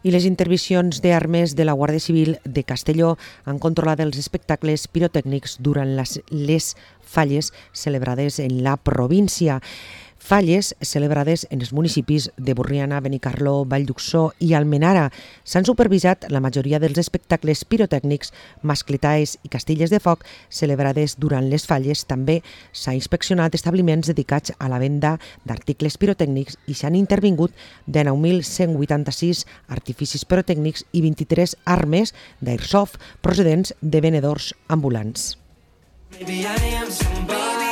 I les intervencions d'armes de la Guàrdia Civil de Castelló han controlat els espectacles pirotècnics durant les falles celebrades en la província. Falles celebrades en els municipis de Borriana, Benicarló, Valldhuxó i Almenara. S'han supervisat la majoria dels espectacles pirotècnics, mascletaes i castilles de foc celebrades durant les falles. També s'ha inspeccionat establiments dedicats a la venda d'articles pirotècnics i s'han intervingut de 9.186 artificis pirotècnics i 23 armes d'airsoft procedents de venedors ambulants. Maybe I am somebody.